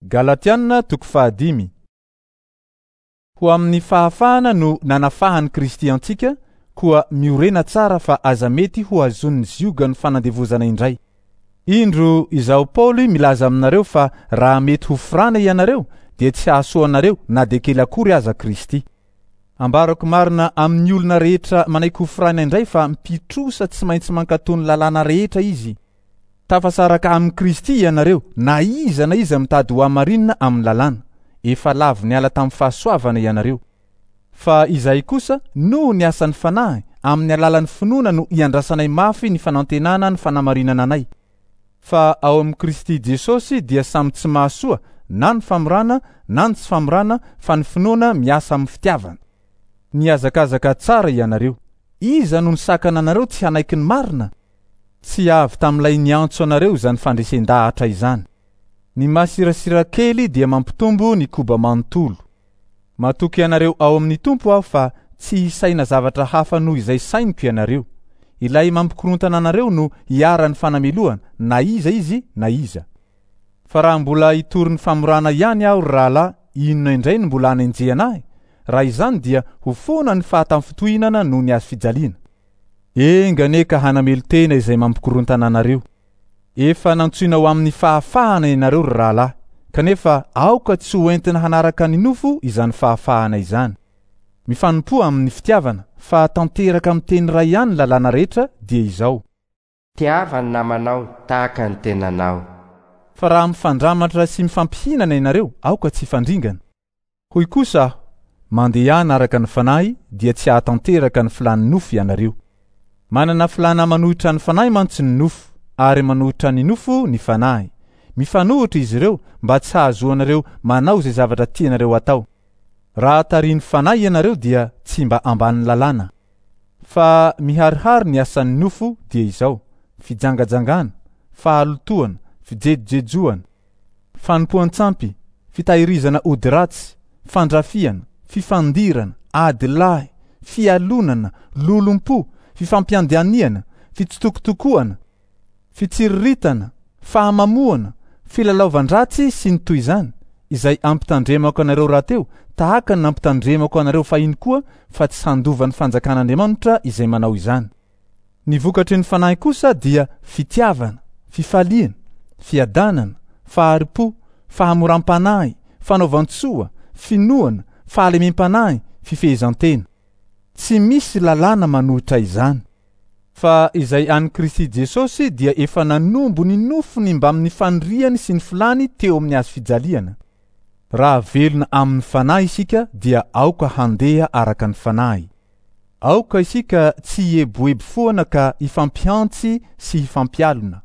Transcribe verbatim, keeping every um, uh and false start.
Galatiana toko fahadimy. Ho amin'ny fahafahana no nanafahan'i Kristy antsika, koa miorena tsara fa aza mety ho azon'ny ziogan'ny fanandevozana indray. Indro izaho Paoly milaza aminareo fa raha mety ho forana ianareo dia tsy hahasoa anareo na dia kely akory aza Kristy. Ambarako marina amin'ny olona rehetra manaiky ho forana indray fa mpitrosa tsy maintsy mankatò ny lalàna rehetra izy. Tafasaraka amin'i Kristy ianareo na iza na iza mitady ho hamarinina amin'ny lalàna. Efa lavo niala tamin'ny fahasoavana ianareo. Fa izahay kosa noho ny asan'ny Fanahy amin'ny alalan'ny finoana no iandrasanay mafy ny fanantenana ny fanamarinana anay. Fa ao amin'i Kristy Jesosy dia samy tsy mahasoa na ny famorana na ny tsy famorana fa ny finoana miasa amin'ny fitiavana. Nihazakazaka tsara ianareo. Iza no nisakana anareo tsy hanaiky ny marina? Tsy avy tamin'ilay niantso anareo izany fandresen-dahatra izany. Ny masirasira kely dia mampitombo ny koba manontolo. Matoky ianareo ao amin'ny Tompo aho fa tsy hisaina zavatra hafa noho izay sainiko ianareo. Ilay mampikorontana anareo no hiharan'ny fanamelohana na iza izy na iza. Fa raha mbola hitory ny famorana ihany aho ry rahalahy, inona indray no mbola hanenjehana ahy? Raha izany dia ho foana ny fahatamfitohinana noho ny hazo fijaliana. Enga anie ka hanamelo-tena izay mampikorontana anareo. Efa nantsoina ho amin'ny fahafahana ianareo ry rahalahy, kanefa aoka tsy ho entina hanaraka ny nofo izany fahafahana izany. Mifanompoa amin'ny fitiavana, fa tanteraka amin'ny teny iray ihany ny lalàna rehetra dia izao: Tiava ny namanao tahaka ny tenanao. Fa raha mifandramatra sy mifampihinana ianareo, aoka tsy hifandringana. Hoy kosa aho: mandehana araka ny Fanahy dia tsy hahatanteraka ny filàn'ny nofo ianareo. Manana filàna manohitra ny Fanahy mantsy ny nofo, ary manohitra ny nofo ny Fanahy. Mifanohitra izy ireo mba tsy hahazoanareo manao izay zavatra tianareo atao. Raha tarihin'ny Fanahy ianareo dia tsy mba ambanin'ny lalàna. Fa miharihary ny asan'ny nofo dia izao: fijangajangana, fahalotoana, fijejojejoana, fanompoan-tsampy, fitahirizana ody ratsy, fandrafiana, fifandirana, ady lahy, fialonana, lolompo, fifampiandaniana, fitsitokotokoana, fitsiriritana, fahamamoana, filalaovan-dratsy sy ny toy izany, izay ampitandremako anareo rahateo, tahaka ny nampitandremako anareo fahiny koa fa tsy handova ny fanjakan'Andriamanitra izay manao izany. Ny vokatry ny Fanahy kosa dia fitiavana, fifaliana, fiadanana, fahari-po, fahamoram-panahy, fanaovan-tsoa, finoana, fahalemem-panahy, fifehezan-tena. Tsy misy lalàna manohitra izany. Fa izay an'i Kristy Jesosy dia efa nanombo ny nofony mbamin'ny faniriany sy ny filàny teo amin'ny hazo fijaliana. Raha velona amin'ny Fanahy isika dia aoka handeha araka ny Fanahy. Aoka isika tsy hieboebo foana ka hifampihantsy sy hifampialona.